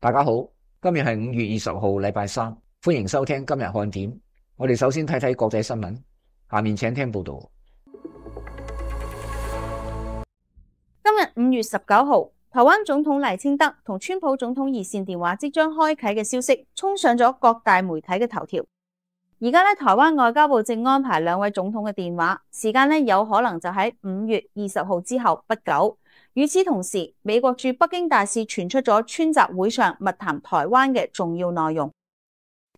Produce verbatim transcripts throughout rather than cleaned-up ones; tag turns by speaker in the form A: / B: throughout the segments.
A: 大家好，今日係五月二十號，禮拜三，歡迎收聽今日看點。我哋首先睇睇國際新聞，下面請聽報道。
B: 今日五月十九號，台灣總統賴清德同川普總統熱線電話即將開啟嘅消息，衝上咗各大媒體嘅頭條。而家咧，台灣外交部正安排兩位總統嘅電話，時間咧有可能就喺五月二十號之後不久。與此同時，美國駐北京大使傳出咗川習會上密談台灣嘅重要內容。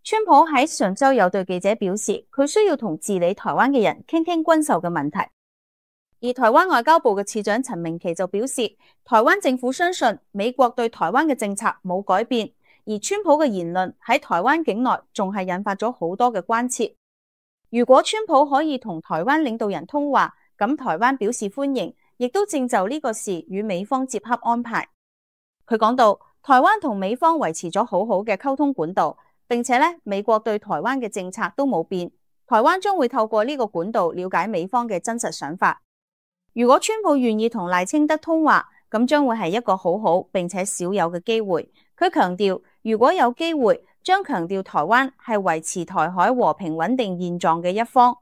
B: 川普喺上週有對記者表示，佢需要同治理台灣嘅人傾傾軍售嘅問題。而台灣外交部嘅次長陳明奇就表示，台灣政府相信美國對台灣嘅政策冇改變，而川普嘅言論喺台灣境內仲係引發咗好多嘅關切。如果川普可以同台灣領導人通話，咁台灣表示歡迎，亦都正就呢個事與美方接洽安排。佢講到，台灣同美方維持咗好好嘅溝通管道，並且咧美國對台灣嘅政策都冇變，台灣將會透過呢個管道了解美方嘅真實想法。如果川普願意同賴清德通話，咁將會係一個好好並且少有嘅機會。佢強調，如果有機會，將強調台灣係維持台海和平穩定現狀嘅一方。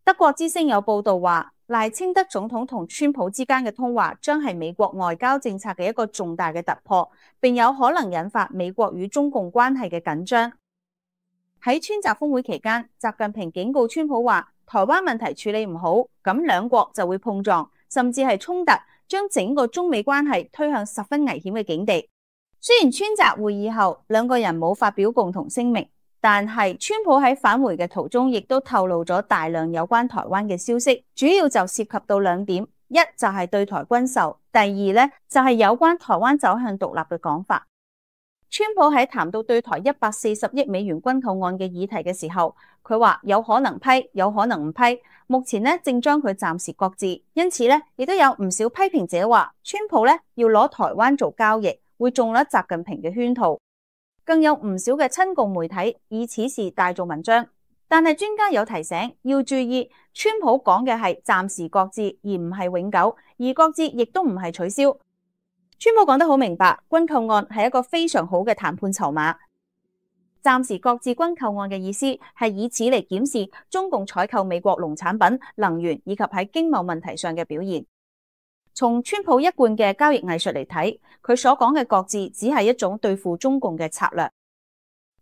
B: 德國之聲有報道話，賴清德總統同川普之間嘅通話將係美國外交政策嘅一個重大嘅突破，並有可能引發美國與中共關係嘅緊張。喺川習峰會期間，習近平警告川普話，台灣問題處理唔好，咁兩國就會碰撞，甚至係衝突，將整個中美關係推向十分危險嘅境地。雖然川習會議後兩個人冇發表共同聲明，但係川普喺返回嘅途中亦都透露咗大量有關台灣嘅消息，主要就涉及到兩點，一就係對台軍售，第二咧就係有關台灣走向獨立嘅講法。川普喺談到對台一百四十億美元軍購案嘅議題嘅時候，佢話有可能批，有可能唔批，目前咧正將佢暫時擱置。因此咧，亦都有唔少批評者話，川普咧要攞台灣做交易，會中咗習近平嘅圈套。更有唔少嘅親共媒體以此事大做文章。但係專家有提醒，要注意，川普講嘅係暫時擱置，而唔係永久，而擱置亦都唔係取消。川普講得好明白，軍購案係一個非常好嘅談判籌碼。暫時擱置軍購案嘅意思係以此嚟檢視中共採購美國農產品、能源以及喺經貿問題上嘅表現。從川普一貫嘅交易藝術嚟睇，佢所講嘅擱置只係一種對付中共嘅策略。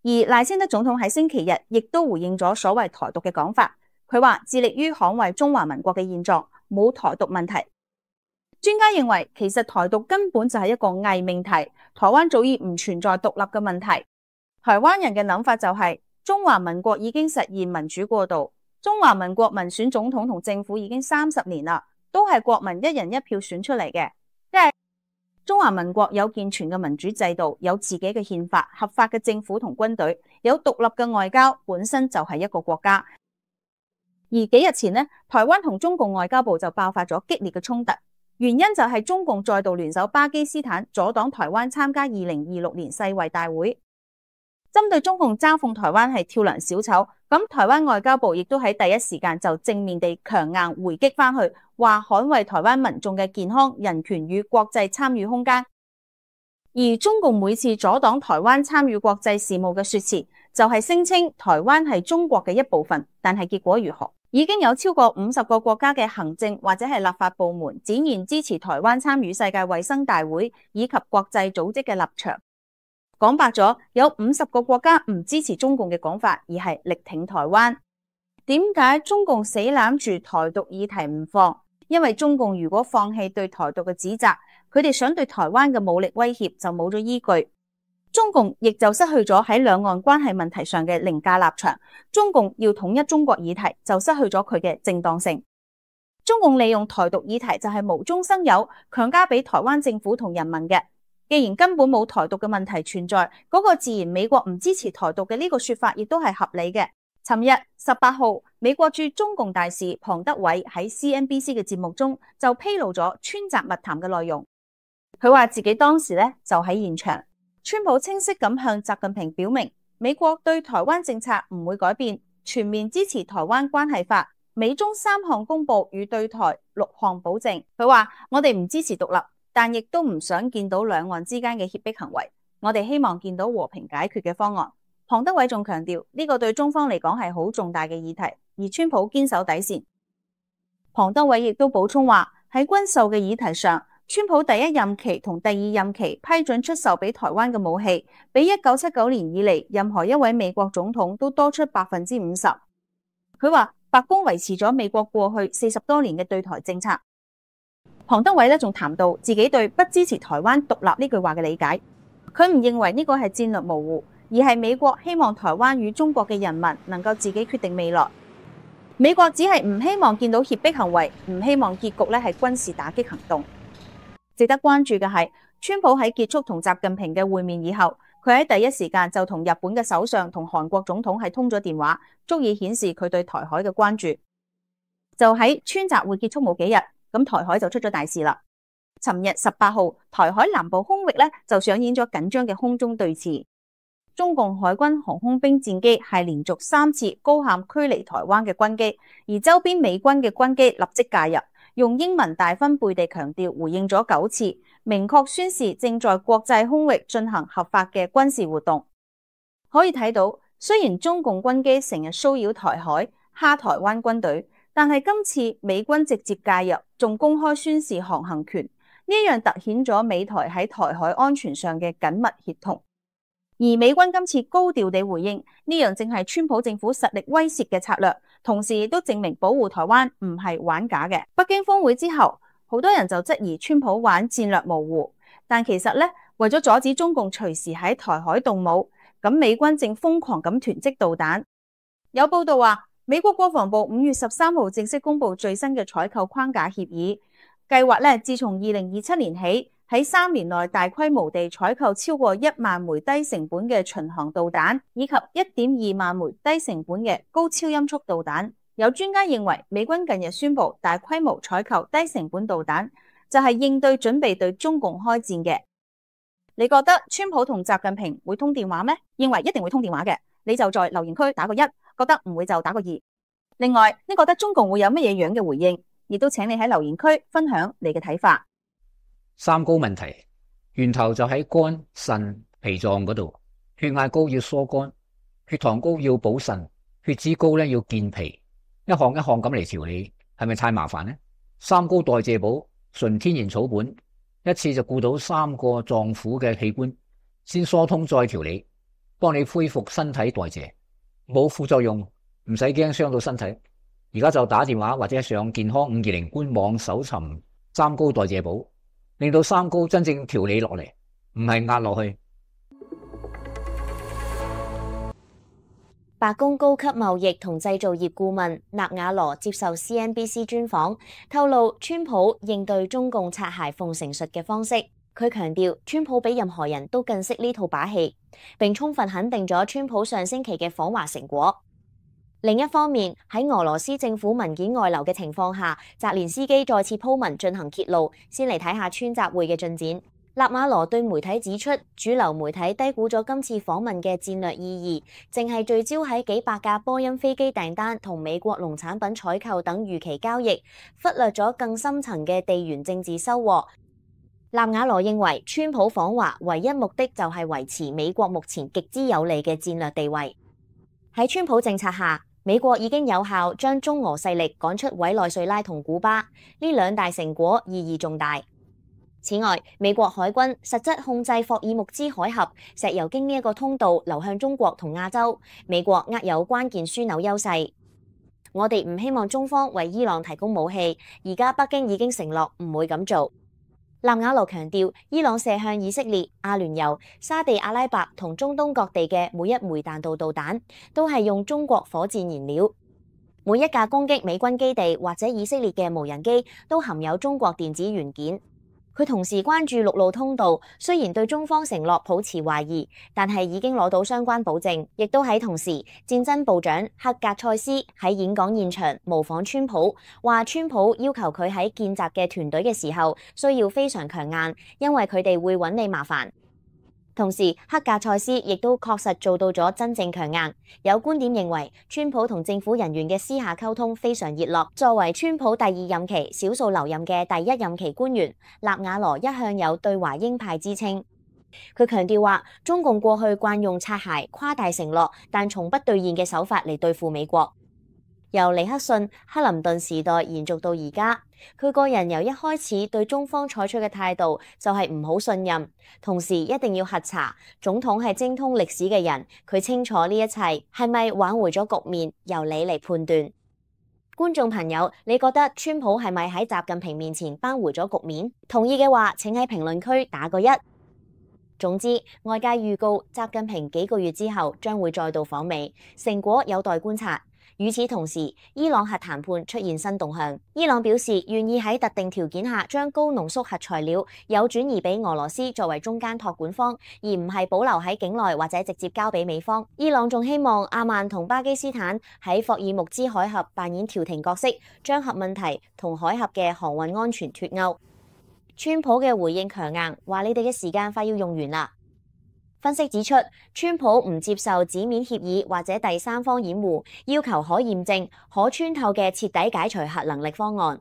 B: 而賴清德總統喺星期日亦都回應咗所謂台獨嘅講法，佢話致力於捍衛中華民國嘅現狀，冇台獨問題。專家認為，其實台獨根本就係一個偽命題，台灣早已唔存在獨立嘅問題。台灣人嘅諗法就係、是、中華民國已經實現民主過渡，中華民國民選總統同政府已經三十年啦，都係國民一人一票選出嚟嘅。即係中華民國有健全嘅民主制度，有自己嘅憲法、合法嘅政府同軍隊，有獨立嘅外交，本身就係一個國家。而幾日前呢，台灣同中共外交部就爆發咗激烈嘅衝突。原因就係中共再度聯手巴基斯坦，阻擋台灣參加二零二六年世衛大會。針對中共嘲諷台灣係跳梁小丑，咁台灣外交部亦都喺第一時間就正面地強硬回擊返去，話捍衛台灣民眾嘅健康、人權與國際參與空間。而中共每次阻擋台灣參與國際事務嘅說辭，就係聲稱台灣係中國嘅一部分，但係結果如何？已經有超過五十個國家嘅行政或者係立法部門展現支持台灣參與世界衛生大會以及國際組織嘅立場。講白咗，有五十個國家唔支持中共嘅講法，而係力挺台灣。點解中共死攬住台獨議題唔放？因為中共如果放棄對台獨嘅指責，佢哋想對台灣嘅武力威脅就冇咗依據。中共亦就失去咗喺兩岸關係問題上嘅凌駕立場，中共要統一中國議題就失去咗佢嘅正當性。中共利用台獨議題就係無中生有，強加俾台灣政府同人民嘅。既然根本冇台獨嘅問題存在，嗰個自然美國唔支持台獨嘅呢個說法亦都係合理嘅。尋日十八號，美國駐中共大使龐德偉喺 C N B C 嘅節目中就披露咗川習密談嘅內容。佢話自己當時咧就喺現場。川普清晰咁向習近平表明，美國對台灣政策唔會改變，全面支持台灣關係法，美中三項公報與對台六項保證。佢話我哋唔支持獨立，但亦都唔想見到兩岸之間嘅脅迫行為。我哋希望見到和平解決嘅方案。龐德偉仲強調呢個對中方嚟講係好重大嘅議題，而川普堅守底線。龐德偉亦都補充話，喺軍售嘅議題上，川普第一任期同第二任期批准出售俾台灣嘅武器，比一九七九年以嚟任何一位美國總統都多出百分之五十。佢話白宮維持咗美國過去四十多年嘅對台政策。龐德偉咧仲談到自己對不支持台灣獨立呢句話嘅理解，佢唔認為呢個係戰略模糊，而係美國希望台灣與中國嘅人民能夠自己決定未來。美國只係唔希望見到脅迫行為，唔希望結局咧係軍事打擊行動。值得關注嘅係，川普喺結束同習近平嘅會面以後，佢喺第一時間就同日本嘅首相同韓國總統係通咗電話，足以顯示佢對台海嘅關注。就喺川習會結束冇幾日，咁台海就出咗大事啦。尋日十八號，台海南部空域咧就上演咗緊張嘅空中對峙。中共海軍航空兵戰機係連續三次高喊驅離台灣嘅軍機，而周邊美軍嘅軍機立即介入，用英文大分貝地強調回應咗九次，明確宣示正在國際空域進行合法嘅軍事活動。可以睇到，雖然中共軍機成日騷擾台海，蝦台灣軍隊，但係今次美軍直接介入，仲公開宣示航行權，呢樣凸顯咗美台喺台海安全上嘅緊密協同。而美軍今次高調地回應，呢樣正係川普政府實力威懾嘅策略，同時亦都證明保護台灣唔係玩假嘅。北京峰會之後，好多人就質疑川普玩戰略模糊，但其實咧，為咗阻止中共隨時喺台海動武，咁美軍正瘋狂咁囤積導彈。有報道話，美國國防部五月十三號正式公布最新嘅採購框架協議，計劃咧自從二零二七年起，喺三年內大規模地採購超過一萬枚低成本嘅巡航導彈，以及一點二萬枚低成本嘅高超音速導彈。有專家認為，美軍近日宣布大規模採購低成本導彈，就係應對準備對中共開戰嘅。你覺得川普同習近平會通電話咩？認為一定會通電話嘅，你就在留言區打個一；覺得唔會就打個二。另外，你覺得中共會有乜嘢樣嘅回應？亦都請你喺留言區分享你嘅睇法。
A: 三高問題源頭就喺肝、腎、脾臟嗰度。血壓高要疏肝，血糖高要補腎，血脂高咧要健脾。一項一項咁嚟調理，係咪太麻煩呢？三高代謝寶純天然草本，一次就顧到三個臟腑嘅器官，先疏通再調理，幫你恢復身體代謝，冇副作用，唔使驚傷到身體。而家就打電話或者上健康五二零官網搜尋三高代謝寶，令到三高真正調理落嚟，唔係壓落去。
C: 白宮高級貿易同製造業顧問納瓦羅接受 C N B C 專訪，透露川普應對中共擦鞋奉承術嘅方式。佢強調，川普比任何人都更識呢套把戲，並充分肯定咗川普上星期嘅訪華成果。另一方面，喺俄羅斯政府文件外流嘅情況下，澤連斯基再次鋪文進行揭露。先嚟睇下川習會嘅進展。納瓦羅對媒體指出，主流媒體低估咗今次訪問嘅戰略意義，淨係聚焦喺幾百架波音飛機訂單同美國農產品採購等預期交易，忽略咗更深層嘅地緣政治收穫。納瓦羅認為，川普訪華唯一目的就係維持美國目前極之有利嘅戰略地位。喺川普政策下，美國已經有效將中俄勢力趕出委內瑞拉同古巴，呢兩大成果意義重大。此外，美國海軍實質控制霍爾木茲海峽，石油經呢一個通道流向中國同亞洲，美國握有關鍵樞紐優勢。我哋唔希望中方為伊朗提供武器，而家北京已經承諾唔會咁做。納瓦羅強調，伊朗射向以色列、阿聯酋、沙地阿拉伯同中東各地嘅每一枚彈道導彈，都係用中國火箭燃料。每一架攻擊美軍基地或者以色列嘅無人機，都含有中國電子元件。佢同時關注陸路通道，雖然對中方承諾抱持懷疑，但係已經攞到相關保證。亦都喺同時，戰爭部長克格塞斯喺演講現場模仿川普，話川普要求佢喺建習嘅團隊嘅時候需要非常強硬，因為佢哋會揾你麻煩。同時，克格塞斯亦都確實做到咗真正強硬。有觀點認為，川普同政府人員嘅私下溝通非常熱絡。作為川普第二任期少數留任嘅第一任期官員，納瓦羅一向有對華鷹派之稱。佢強調話，中共過去慣用擦鞋、誇大承諾，但從不兌現嘅手法嚟對付美國。由尼克遜、克林頓時代延續到而家，佢個人由一開始對中方採取嘅態度就係唔好信任，同時一定要核查。總統係精通歷史嘅人，佢清楚呢一切係咪挽回咗局面，由你嚟判斷。觀眾朋友，你覺得川普係咪喺習近平面前扳回咗局面？同意嘅話，請喺評論區打個一。總之，外界預告習近平幾個月之後將會再度訪美，成果有待觀察。與此同時，伊朗核談判出現新動向。伊朗表示願意喺特定條件下將高濃縮核材料有轉移俾俄羅斯作為中間託管方，而唔係保留喺境內或者直接交俾美方。伊朗仲希望阿曼同巴基斯坦喺霍爾木茲海峽扮演調停角色，將核問題同海峽嘅航運安全脫鈎。川普嘅回應強硬，話你哋嘅時間快要用完啦。分析指出，川普唔接受紙面協議或者第三方掩護，要求可驗證、可穿透嘅徹底解除核能力方案。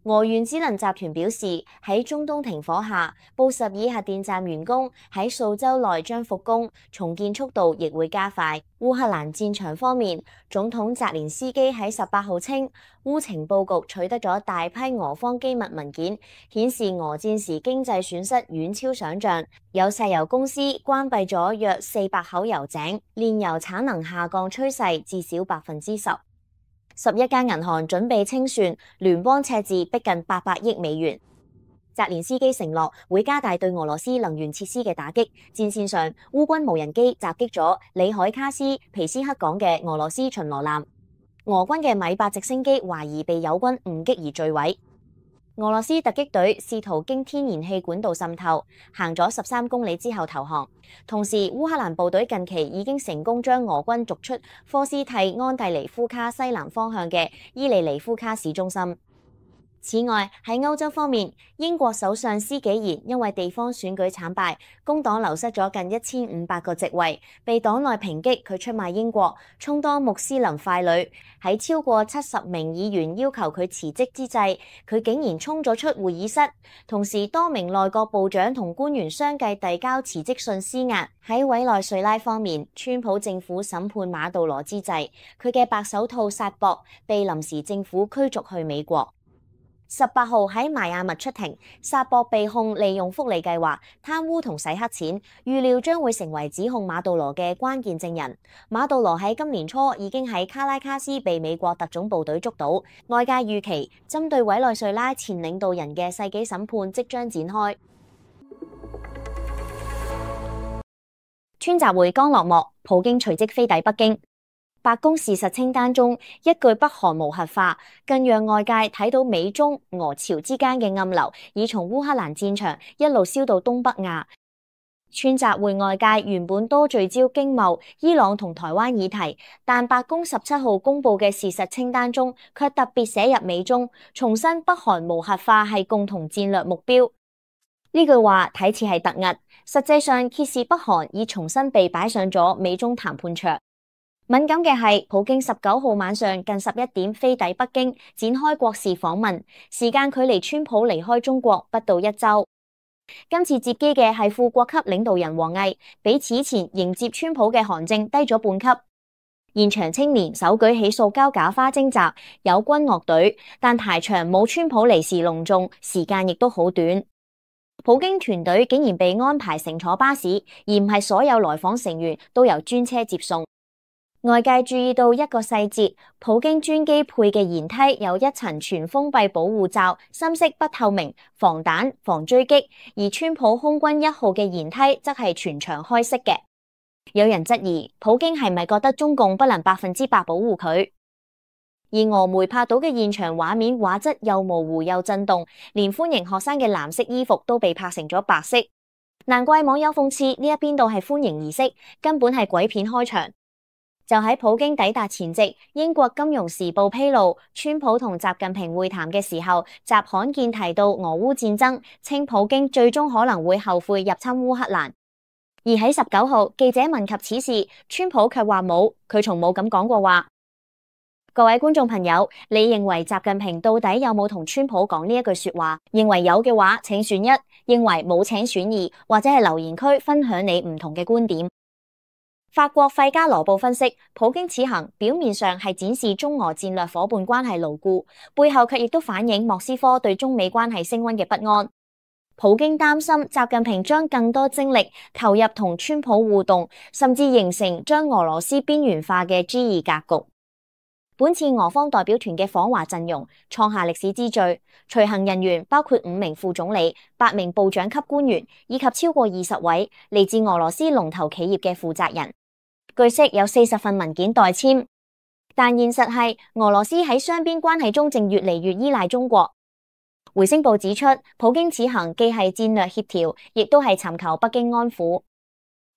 C: 俄原子能集團表示，喺中東停火下，布什爾核電站員工喺數週內將復工，重建速度亦會加快。烏克蘭戰場方面，總統澤連斯基喺十八號稱，烏情報局取得咗大批俄方機密文件，顯示俄戰時經濟損失遠超想象。有石油公司關閉咗約四百口油井，煉油產能下降趨勢至少百分之十。十一間銀行準備清算，聯邦赤字逼近八百億美元。澤連斯基承諾會加大對俄羅斯能源設施嘅打擊。戰線上，烏軍無人機襲擊咗里海卡斯皮斯克港嘅俄羅斯巡邏艦，俄軍嘅米八直升機懷疑被友軍誤擊而墜毀。俄羅斯突擊隊試圖經天然氣管道滲透，行咗十三公里之後投降。同時，烏克蘭部隊近期已經成功將俄軍逐出科斯蒂安蒂尼夫卡西南方向嘅伊利尼夫卡市中心。此外，喺歐洲方面，英國首相施紀賢因為地方選舉慘敗，工黨流失咗近一千五百個席位，被黨內抨擊佢出賣英國，充當穆斯林傀儡。喺超過七十名議員要求佢辭職之際，佢竟然衝咗出會議室，同時多名內閣部長同官員相繼遞交辭職信施壓。喺委內瑞拉方面，川普政府審判馬杜羅之際，佢嘅白手套薩博被臨時政府驅逐去美國。十八號喺邁阿密出庭，薩博被控利用福利計劃、貪污同洗黑錢，預料將會成為指控馬杜羅嘅關鍵證人。馬杜羅喺今年初已經喺卡拉卡斯被美國特種部隊捉到，外界預期針對委內瑞拉前領導人嘅世紀審判即將展開。川習會剛落幕，普京隨即飛抵北京。白宮事實清單中一句北韓無核化，更讓外界睇到美中俄朝之間嘅暗流已從烏克蘭戰場一路燒到東北亞。川習會外界原本多聚焦經貿、伊朗同台灣議題，但白宮十七號公布嘅事實清單中卻特別寫入美中，重申北韓無核化係共同戰略目標。呢句話睇似係突兀，實際上揭示北韓已重新被擺上咗美中談判桌。敏感嘅係，普京十九號晚上近十一點飛抵北京，展開國事訪問，時間距離川普離開中國不到一周。今次接機嘅係副國級領導人王毅，比此前迎接川普嘅韓正低咗半級。現場青年手舉起塑膠假花徵集，有軍樂隊，但排場冇川普嚟時隆重，時間亦都好短。普京團隊竟然被安排乘坐巴士，而唔係所有來訪成員都由專車接送。外界注意到一個細節，普京專機配嘅舷梯有一層全封閉保護罩，深色不透明，防彈防追擊，而川普空軍一號嘅舷梯則係全場開式嘅。有人質疑普京係咪覺得中共不能百分之百保護佢？而俄媒拍到嘅現場畫面畫質又模糊又震動，連歡迎學生嘅藍色衣服都被拍成咗白色。難怪網友諷刺呢一邊度係歡迎儀式，根本係鬼片開場。就喺普京抵達前夕，英國金融時報披露，川普同習近平會談嘅時候，習罕見提到俄烏戰爭，稱普京最終可能會後悔入侵烏克蘭。而喺十九號，記者問及此事，川普卻話冇，佢從冇咁講過話。各位觀眾朋友，你認為習近平到底有冇同川普講呢一句說話？認為有嘅話，請選一；認為冇請選義，或者係留言區分享你唔同嘅觀點。法國費加羅報分析，普京此行表面上係展示中俄戰略夥伴關係牢固，背後卻亦都反映莫斯科對中美關係升溫嘅不安。普京擔心習近平將更多精力投入同川普互動，甚至形成將俄羅斯邊緣化嘅 G 二格局。本次俄方代表團嘅訪華陣容創下歷史之最，隨行人員包括五名副總理、八名部長級官員以及超過二十位嚟自俄羅斯龍頭企業嘅負責人。據悉有四十份文件待簽，但現實係俄羅斯喺雙邊關係中正越嚟越依賴中國。回聲報指出，普京此行既係戰略協調，亦都係尋求北京安撫。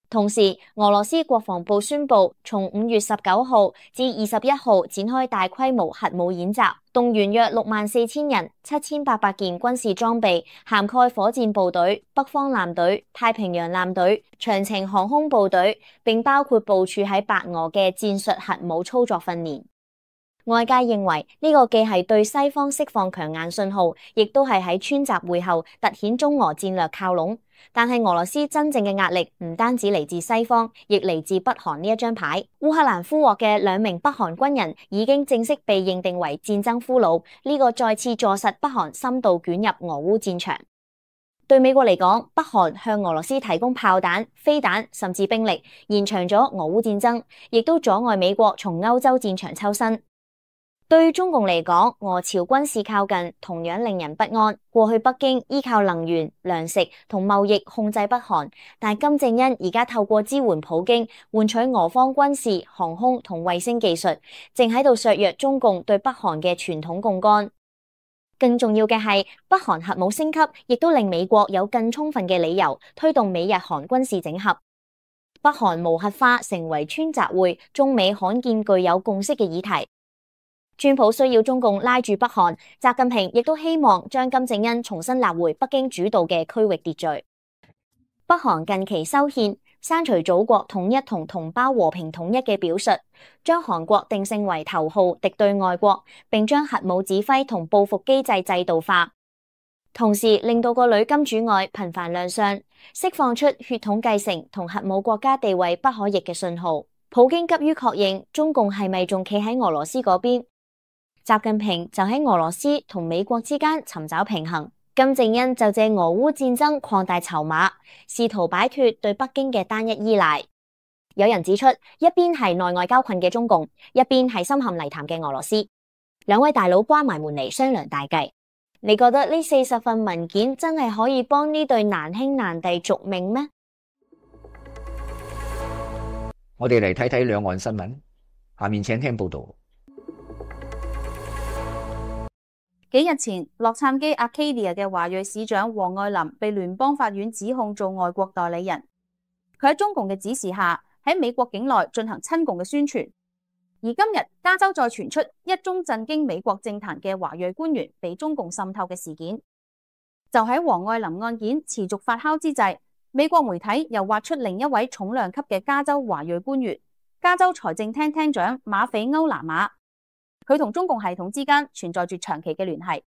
C: 同時，俄羅斯國防部宣布，從五月十九號至二十一號展開大規模核武演習，動員約六萬四千人、七千八百件軍事裝備，涵蓋火箭部隊、北方艦隊、太平洋艦隊、長程航空部隊，並包括部署喺白俄嘅戰術核武操作訓練。外界認為呢個既係對西方釋放強硬信號，亦都係喺川習會後凸顯中俄戰略靠攏。但係俄羅斯真正嘅壓力唔單止嚟自西方，亦嚟自北韓呢一張牌。烏克蘭俘獲嘅兩名北韓軍人已經正式被認定為戰爭俘虜，呢個再次坐實北韓深度捲入俄烏戰場。對美國嚟講，北韓向俄羅斯提供炮彈、飛彈甚至兵力，延長咗俄烏戰爭，亦都阻礙美國從歐洲戰場抽身。對於中共嚟講，俄朝軍事靠近同樣令人不安。過去北京依靠能源、糧食同貿易控制北韓，但金正恩而家透過支援普京，換取俄方軍事、航空同衛星技術，正喺度削弱中共對北韓嘅傳統槓桿。更重要嘅係，北韓核武升級，亦都令美國有更充分嘅理由推動美日韓軍事整合。北韓無核化成為川習會中美罕見具有共識嘅議題。川普需要中共拉住北韓，習近平亦都希望將金正恩重新納回北京主導嘅區域秩序。北韓近期修憲，刪除祖國統一同同胞和平統一嘅表述，將韓國定性為頭號敵對外國，並將核武指揮同報復機制制度化，同時令到個女金主愛頻繁亮相，釋放出血統繼承同核武國家地位不可逆嘅信號。普京急於確認中共係咪仲企喺俄羅斯嗰邊，習近平就喺俄羅斯同美國之間尋找平衡，金正恩就借俄烏戰爭擴大籌碼，試圖擺脫對北京嘅單一依賴。有人指出，一邊係內外交困嘅中共，一邊係深陷泥潭嘅俄羅斯，兩位大佬關埋門嚟商量大計。你覺得呢四十份文件真係可以幫呢對難兄難弟續命咩？
A: 我哋嚟睇睇兩岸新聞，下面請聽報道。
B: 幾日前，洛杉磯 Arcadia 嘅華裔市長黃愛林被聯邦法院指控做外國代理人。佢喺中共嘅指示下，喺美國境內進行親共嘅宣傳。而今日加州再傳出一宗震驚美國政壇嘅華裔官員被中共滲透嘅事件。就喺黃愛林案件持續發酵之際，美國媒體又挖出另一位重量級嘅加州華裔官員，加州財政廳廳長馬斐歐拿馬。佢同中共系統之間存在住長期嘅聯繫。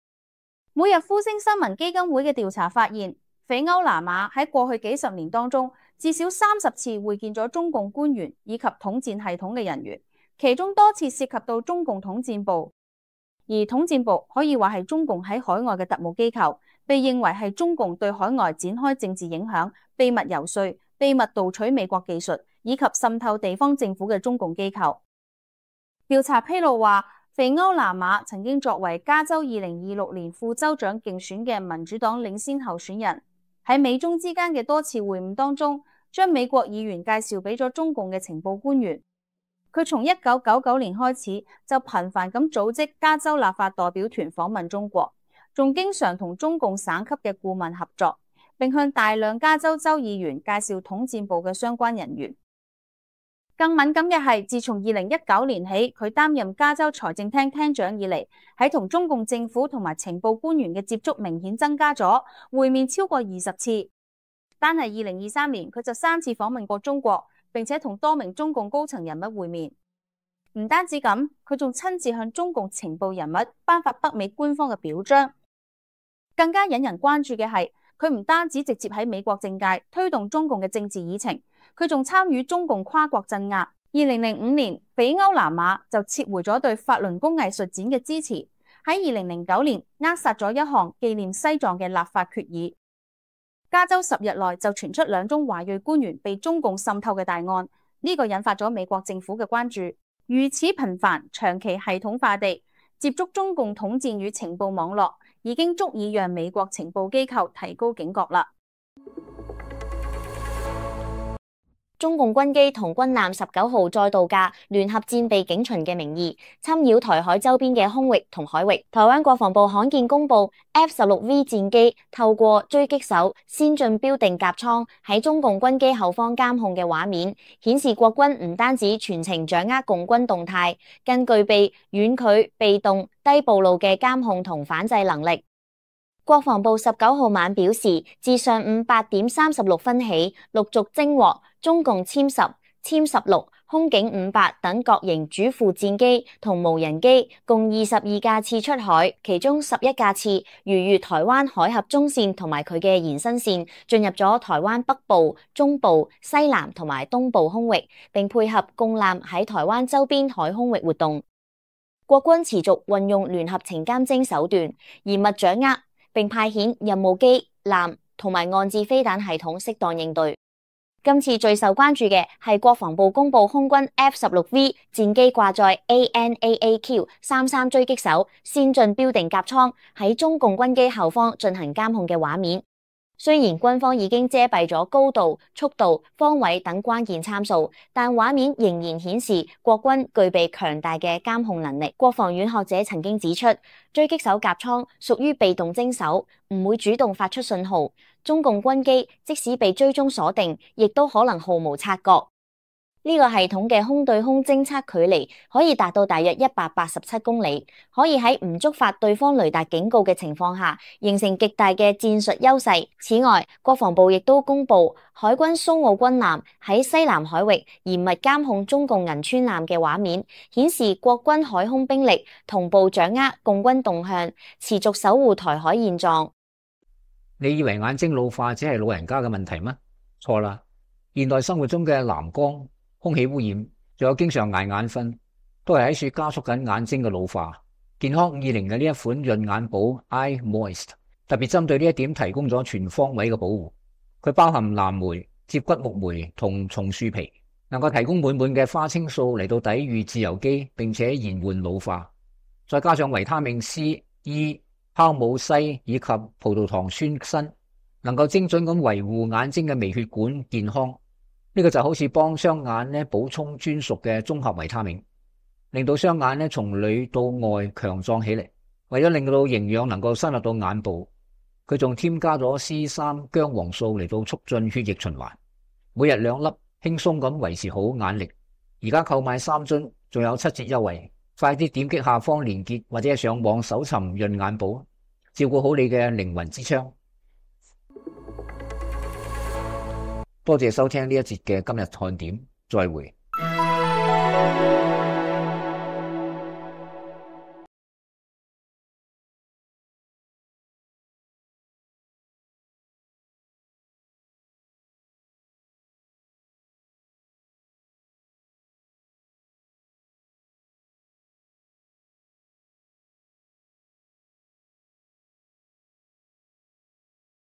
B: 每日呼聲新聞基金會嘅調查發現，斐歐拿馬喺過去幾十年當中，至少三十次會見咗中共官員以及統戰系統嘅人員，其中多次涉及到中共統戰部。而統戰部可以話係中共喺海外嘅特務機構，被認為係中共對海外展開政治影響、秘密遊說、秘密盜取美國技術以及滲透地方政府嘅中共機構。調查披露話，斐歐拿馬曾經作為加州二零二六年副州長競選嘅民主黨領先候選人，喺美中之間嘅多次會晤當中，將美國議員介紹俾咗中共嘅情報官員。佢從一九九九年開始就頻繁咁組織加州立法代表團訪問中國，仲經常同中共省級嘅顧問合作，並向大量加州州議員介紹統戰部嘅相關人員。更敏感嘅係，自從二零一九年起，佢擔任加州財政廳廳長以嚟，喺同中共政府同埋情報官員嘅接觸明顯增加咗，會面超過二十次。單係二零二三年，佢就三次訪問過中國，並且同多名中共高層人物會面。唔單止咁，佢仲親自向中共情報人物頒發北美官方嘅表彰。更加引人關注嘅係，佢唔單止直接喺美國政界推動中共嘅政治議程，佢仲參與中共跨國鎮壓。二零零五年，比歐南馬就撤回咗對法輪功藝術展嘅支持。喺二零零九年，扼殺咗一項紀念西藏嘅立法決議。加州十日內就傳出兩宗華裔官員被中共滲透嘅大案，呢個引發咗美國政府嘅關注。如此頻繁、長期系統化地接觸中共統戰與情報網絡，已經足以讓美國情報機構提高警覺啦。
C: 中共軍機同軍艦十九號再度架聯合戰備警巡嘅名義，侵擾台海周邊嘅空域同海域。台灣國防部罕見公布 F 十六 V 戰機透過狙擊手先進標定夾艙喺中共軍機後方監控嘅畫面，顯示國軍唔單止全程掌握共軍動態，更具備遠距、被動、低暴露嘅監控同反制能力。國防部十九號晚表示，自上午八點三十六分起，陸續偵獲中共殲十、殲十六、空警五八等各型主副戰機同無人機共二十二架次出海，其中十一架次逾越台灣海峽中線同埋佢嘅延伸線，進入咗台灣北部、中部、西南同埋東部空域，並配合共艦喺台灣周邊海空域活動。國軍持續運用聯合情監偵手段，嚴密掌握並派遣任務機、艦同埋岸置飛彈系統適當應對。今次最受關注嘅係國防部公布空軍 F 十六 V 戰機掛載 A N A A Q 三三狙擊手先進標定夾艙喺中共軍機後方進行監控嘅畫面。雖然軍方已經遮蔽咗高度、速度、方位等關鍵參數，但畫面仍然顯示國軍具備強大嘅監控能力。國防院學者曾經指出，狙擊手夾艙屬於被動偵守，唔會主動發出信號。中共軍機即使被追蹤鎖定，亦都可能毫無察覺。呢個系統嘅空對空偵測距離可以達到大約一百八十七公里，可以喺唔觸發對方雷達警告嘅情況下，形成極大嘅戰術優勢。此外，國防部亦都公布海軍蘇澳軍艦喺西南海域嚴密監控中共銀川艦嘅畫面，顯示國軍海空兵力同步掌握共軍動向，持續守護台海現狀。
A: 你以為眼睛老化只係老人家嘅問題嗎？錯啦！現代生活中嘅藍光、空氣污染，仲有經常捱眼瞓，都係喺處加速緊眼睛嘅老化。健康五二零嘅呢一款潤眼寶 Eye Moist 特別針對呢一點提供咗全方位嘅保護。佢包含藍莓、接骨木莓同松樹皮，能夠提供滿滿嘅花青素嚟到抵禦自由基，並且延緩老化。再加上維他命 C、E、酵母硒以及葡萄糖酸鋅，能夠精準咁維護眼睛嘅微血管健康。呢個就好似幫雙眼咧補充專屬嘅綜合維他命，令到雙眼咧從裏到外強壯起嚟。為咗令到營養能夠深入到眼部，佢仲添加咗 C 三 薑黃素嚟到促進血液循環。每日兩粒，輕鬆咁維持好眼力。而家購買三樽，仲有七折優惠，快啲點擊下方連結或者係上網搜尋潤眼寶，照顧好你嘅靈魂之窗。多謝收聽呢一節嘅今日看點，再會。